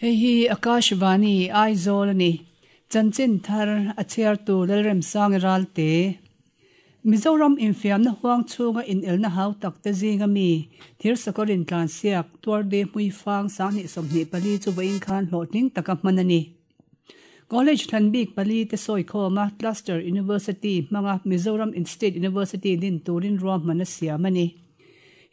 Hei hi Akashvani, Aizawl a ni. Chanchin thar a chhiartu Lalremsangi Ralte. Mizoram infiamna huang chhunga inelna hau tak te zinga mi Thirsakawr intlansiak Tuarde Hmuifang 2024 chu vawiin khan hlawhtling taka hman a ni. College thlan bik pali te sawikhawma Cluster University hmanga Mizoram State University din turin ruahman a siam a ni.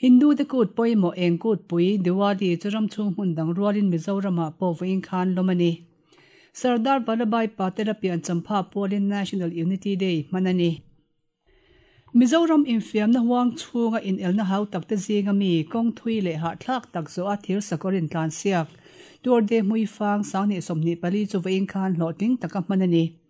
Hindu te kut pawimawh eng kutpui Diwali chu ram chhung hmun dang rualin Mizoramah pawh vawiin khan lawm a ni. Sardar Vallabhbhai Patel a pian champha pualin National Unity Day hman a ni. Mizoram infiamna huang chhunga inelna hau takte zinga mi kawng thui leh hahthlak tak zawh a thir sakawr intlansiak Tour de Hmuifang 2024 chu vawiin khan hlawhtling taka hman a ni.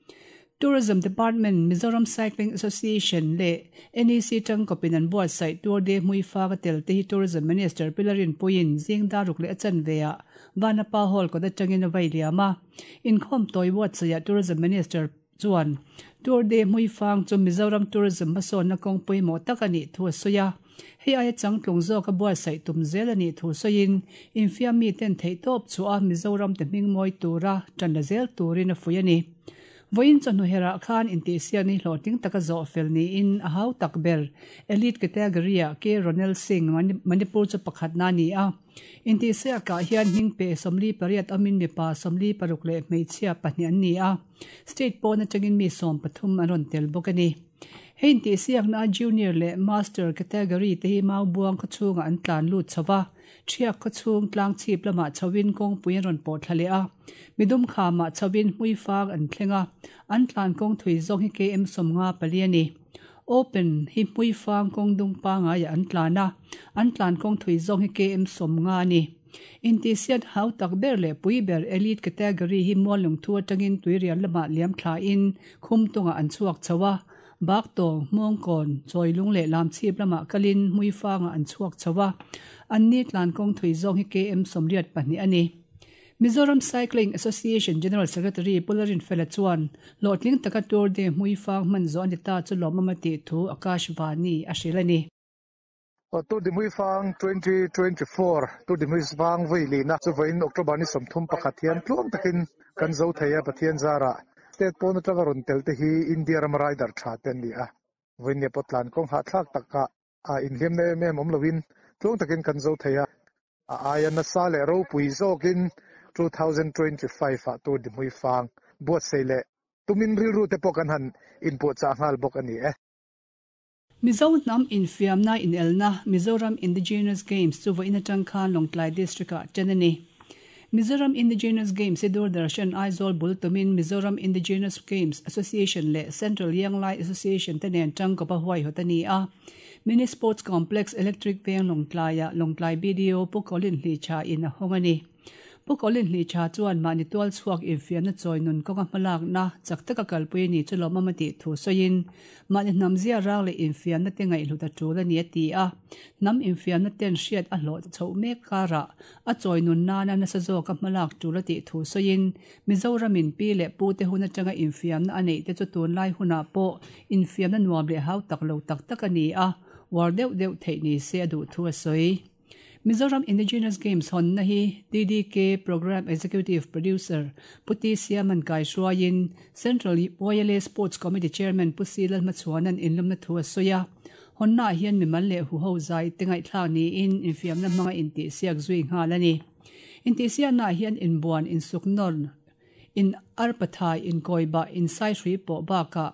Tourism Department, Mizoram Cycling Association leh NEC tangkawpin an buatsaih Tour de Hmuifang a tel te hi Tourism Minister Pi Larinpuiin zing daruk leh a chanve ah Vanapa Hall kawt atangin a vai liam a. Inkhawm tawi buatsaihah Tourism Minister chuan Tour de Hmuifang chu Mizoram Tourism hmasawnna kawng pawimawh tak a nih thu a sawi a. Hei aia changtlung zawka buatsaih tum zel a nih thu sawiin infiam miten theihtawp chhuah a Mizoram te hming mawi tura tan la zel turin a fuih a ni. Vawiin chawhnu herah khan intihsiakna hi hlawhtling taka zawh fel niin a hau tak ber Elite category-ah K Ronel Singh, Manipur chu pakhatna a ni a. Intihsiakah hian hming pe 48 awmin mipa 46 leh hmeichhia pahnih an ni a. State pawn atangin mi 13 an rawn tel bawk a ni. Hei intihsiakna a Junior leh Master category te hi Maubuang khaw chhungah an tlan lut chho va, Thiak khaw chhung tlang chhip lamah chhoin kawngpui an rawn pawh thla leh a, midum khamah chhoin Hmuifang an thleng a, an tlan kawng thui zawng hi KM 54 a ni. Open hi Hmuifang kawng dung pangaiah an tlan a, an tlan kawng thui zawng hi KM 50 a ni. Intihsiat hau tak ber leh pui ber Elite category hi Muallungthu atangin Tuirial lamah liam thlain Khumtungah an chhuak chho a, Baktawng, Hmawngkawn, Chawilung leh Lamchhip lamah kalin Hmuifangah an chhuak chho a, anni tlan kawng thui zawng hi KM 82 a ni. Mizoram Cycling Association General Secretary Pu Larinfela chuan hlawhtling taka Tour de Hmuifang hman zawh a ni ta chu lawmawm a tih thu Akashvani a hrilh a ni. Tour de Hmuifang 2024, Tour de Hmuifang vawi lihna chu vawiin October ni 31 hian tluang takin kan zo thei a, Pathian zarah state pawn atanga rawn tel te hi India rama rider tha te an ni a, vawiin nia pawh tlan kawng hahthlak takah inhliamna em em awm loin tluang takin kan zo thei a. A aia nasa leh ropui zawkin 2025 ah Tour de Hmuifang buatsaih leh tumin rilru te pawh kan han inpuahchah nghal bawk a ni e. Mizo hnam infiamna inelna Mizoram Indigenous Games chu vawiin atang khan Lawngtlai District-ah ṭan a ni. Mizoram Indigenous Games hi Doordarshan Aizawl bul tumin Mizoram Indigenous Games Association leh Central Young Lai Association te nen tangkawp a huaihawt a ni a. Mini Sports Complex Electric Veng Lawngtlaiah Lawngtlai BDO Pu Colin Hlicha in a hawng a ni. Pu Colin Hlicha chuan mahni tual chhuak infiamna chawi nun kawnga hmalakna chak taka kalpui a ni chu lawmawm a tih thu sawiin, mahni hnam zia rang leh infiamna te ngaihhlut a tul a ni a ti a. Hnam infiamna ten hriat a hlawh chhoh mek karah a chawi nun nana nasa zawka hmalak tul a tih thu sawiin, Mizoramin pi leh pu te hun atanga infiamna a neih te chu tunlai hunah pawh infiamna nuam leh hau tak lo tak tak a ni a, uar deuh deuh theih ni se a duh thu a sawi. Mizoram Indigenous Games hawnna hi DDK Programme Executive Producer Pu T Siaman kaihruaiin Central YLA Sports Committee Chairman Pu C Lalhmachhuana'n inlawmna thu a sawi a. Hawnnaah hian mimal leh huho zai te ngaihthlak niin infiamna hmanga intihsiak zui nghal a ni. Intihsiaknaah hian inbuan, insuknawn, in arpathai, inkawibah, insaihruih pawh bakah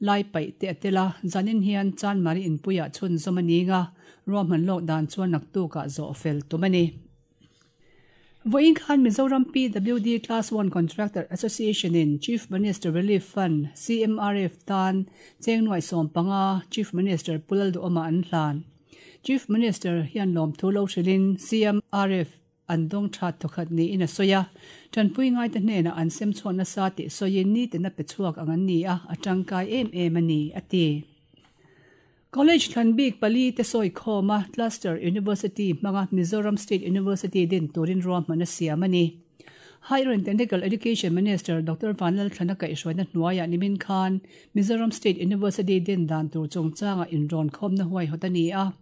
Lai paih te a tel a, zanin hian Chanmari inpuiah chhunzawm a ning a, ruahman lawk dan chuan naktukah zawh fel tum a ni. Vawiin khan Mizoram PWD Class One Contractor Association in Chief Minister Relief Fund, CMRF, tan cheng nuaih 15 Chief Minister Pu Lalduhawma an hlan. Chief Minister hian lawmthu lo hrilhin CMRF An dawng that thawkhat niin a sawi a, tanpui ngaite hnenah an sem chhuah nasa tih sawiin nitin a pe chhuak ang an ni a, a tangkai em em a ni, a ti. College thlan bik pali te sawi khawm a, Cluster University hmanga Mizoram State University din turin ruahman a siam a ni. Higher and Technical Education Minister Doctor Vanlalthlana kaihhruaina hnuaiah nimin khan Mizoram State University din dan tur chungchanga inrawn khawmna huaihawt a ni a.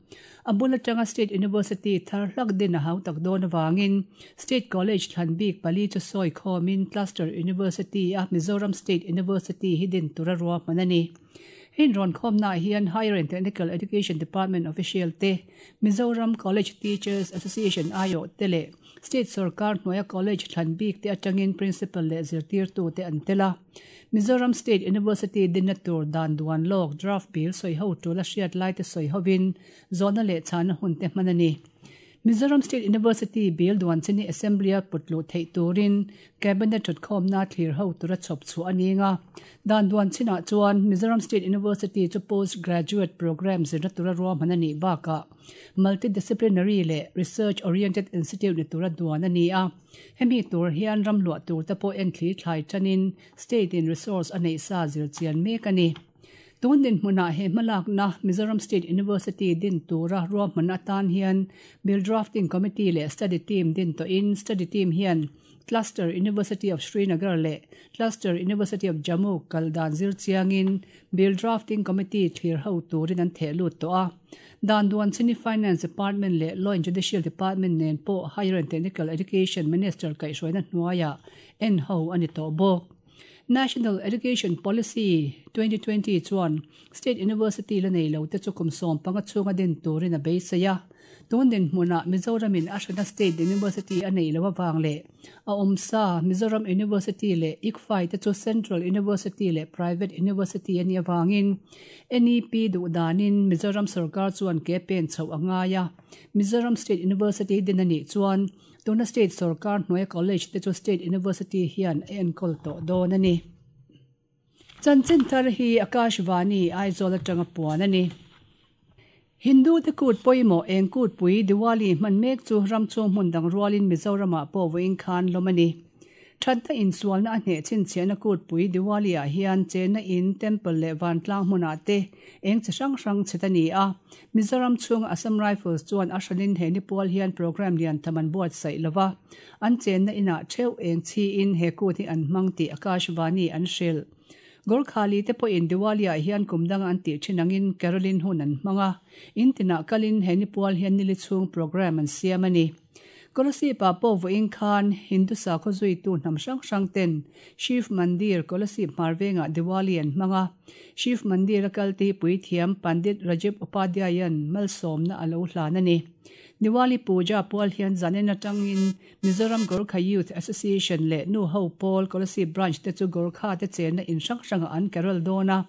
A bul atanga State University thar hlak din a hau tak dawn avangin State College thlan bik pali chu sawi khawmin Cluster University a Mizoram State University hi din tura ruahman a ni. Hei inrawn khawmnaah hian Higher and Technical Education Department official te, Mizoram College Teachers Association aiawh te leh State sorkar hnuaia college thlan bik te atangin principal leh zirtirtu te an tel a. Mizoram State University dinna tur dan duan lawk draft bill sawi ho tul a hriat lai te sawi hovin zawhna leh chhana hun te hman a ni. Mizoram State University bill duan chini Assembly-a put luh theih turin Cabinet thutkhawmna thlir ho tura chhawp chhuah a ning a. Dan duan chinah chuan Mizoram State University chu Post Graduate Programme zirna tura ruahman a nih bakah Multidisciplinary leh Research Oriented Institute ni tura duan a ni a. Hemi tur hian ram luah tur te pawh enthli thlai tanin State in resource a neih sa zir chian mek a ni. Tun dinhmunah he hmalakna Mizoram State University din tura ruahman atan hian Bill Drafting Committee leh Study Team din tawhin Study Team hian Cluster University of Srinagar leh Cluster University of Jammu kal dan zir chiangin Bill Drafting Committee thlir ho turin an theh lut tawh a. Dan duan chini Finance Department leh Law and Judicial Department nen pawh Higher and Technical Education Minister kaihhruaina hnuaiah en ho a ni tawh bawk. National Education Policy 2020 chuan State University la nei lo te chu kum 15 chhunga din turin a beisei a. Tun dinhmunah Mizoramin a hrana State University a neih loh avang leh a awmsa Mizoram University leh ICFAI te chu Central University leh Private University a nih avangin NEP duh danin Mizoram sorkar chuan ke pen chhoh a ngai a. Mizoram State University din a nih chuan tuna State sorkar hnuaia College te chu State University hian a enkawl tawh dawn a ni. Chanchin thar hi Akashvani, Aizawl atanga puan a ni. Hindu te kut pawimawh eng kutpui Diwali hman mek chu ram chhung hmun dang rualin Mizoramah pawh vawiin khan lawm a ni. Thatna insualna a hneh chhinchhiahna kutpui Diwali ah hian chenna in, temple leh vantlang hmunah te eng chi hrang hrang chhet a ni a. Mizoram chhunga Assam Rifles chuan a hranin he nipual hian programme lian tham an buatsaih lova, an chenna inah theuh eng chhiin he kut hi an hmang tih Akashvani an hrilh. Gorkhali te pawhin Diwali-ah hian kum danga an tih thin angin Caroline hun an hmang a, in tinah kalin he nipual hian nili chhung programme an siam a ni. Kolasib-ah pawh vawiin khan Hindu sakhaw zuitu hnam hrang hrang ten Shiv Mandir, Kolasib hmar vengah Diwali an hmang a. Shiv Mandir a kal te hi puithiam Pandit Rajiv Upadhyay-a'n malsawmna a lo hlan a ni. Diwali puja pual hian zanin atangin Mizoram Gorkha Youth Association leh Nu Ho Pawl Kolasib Branch te chu Gorkha te chenna in hrang hrangah an carol dawn a.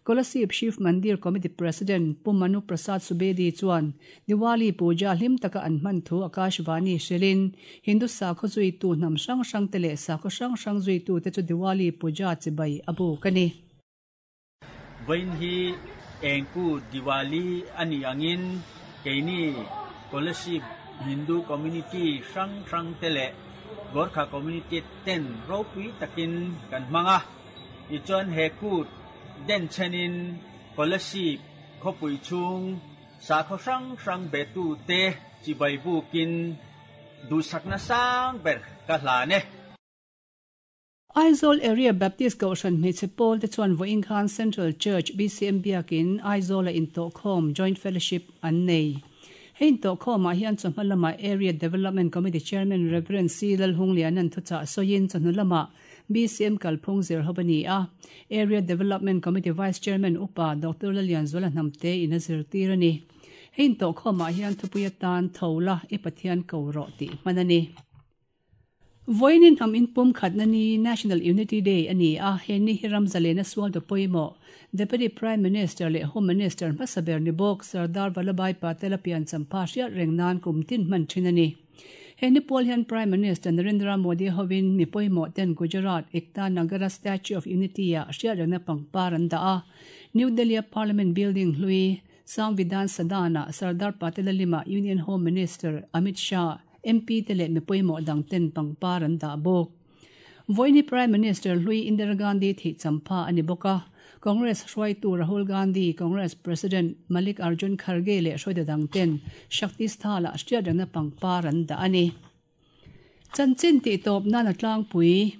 Kolasib Shiv Mandir Committee President Pu Manu Prasad Subedi chuan Diwali puja hlim taka an hman thu Akashvani hrilhin Hindu sakhaw zuitu hnam hrang hrang te leh sakhaw hrang hrang zuitu te chu Diwali puja chibai a buk a ni. Vawiin hi engku Diwali a nih angin keini Kolasib Hindu Community hrang hrang te leh Gorkha Community ten ropui takin kan hmang a. Tichuan he kut denchhenin Kolasib khawpui chhung sakhaw hrang hrang betu te chibai bukin duhsakna sang ber ka hlan e. Aizawl Area Baptist Kohhran hmeichhe pawl te chuan vawiin khan Central Church BCM Biakin Aizawl-a intawhkhawm, Joint Fellowship, an nei. Hei intawhkhawmah hian chawhma lamah Area Development Committee Chairman Rev. C. Lalhungliana'n thuchah sawiin chawhnu lamah BCM kalphung zir ho a ni a. Area Development Committee Vice Chairman Upa Doctor Lalianzuala Hnamte in a zirtir a ni. Hei intawhkhawmah hian thupui atan tho la i Pathian ko rawh tih hman a ni. Vawiin hnam inpum khatna ni, National Unity Day, a ni a, he ni hi ram zalena sualtu pawimawh, Deputy Prime Minister leh Home Minister hmasa ber ni bawk Sardar Vallabhbhai Patel a pian champha hriat reng nan kum tin hman thin a ni. He ni pawl hian Prime Minister Narendra Modi hovin mi pawimawh ten Gujarat Ekta Nagara Statue of Unity-ah hriat rengna pangpar an dah a, New Delhi-a Parliament Building hlui, Samvidhan Sadan-ah Sardar Patel a limah Union Home Minister Amit Shah, MP te leh mi pawimawh dang ten pangpar an dah bawk. Vawiini Prime Minister hlui Indira Gandhi thih champha a ni bawk a, Congress hruaitu Rahul Gandhi, Congress President Malik Arjun Kharge leh hruaitu dang ten Shakti Sthala hriat rengna pangpar an dah a ni. Chanchin tihtawp nan a tlangpui.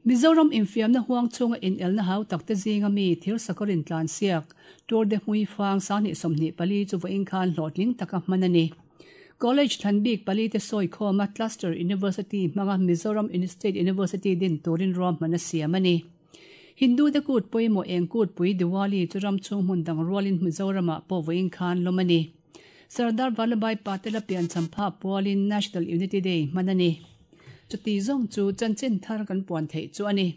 Mizoram infiamna huang chhunga inelna hau takte zinga mi thir sakawr intlansiak Tour de Hmuifang 2024 chu vawiin khan hlawhtling taka hman a ni. College thlan bik palite sawi khawma Cluster University hmanga Mizoram State University din turin ruahman a siam a ni. Hindu te kut pawimawh eng kutpui Diwali chu ram chhung hmun dang rualin Mizoramah pawh vawiin khan lawm a ni. Sardar Vallabhbhai Patel-a piancham phah pualin National Unity Day hman a ni. Chuti zawng chu chanchin thar kan puan theih chu a ni.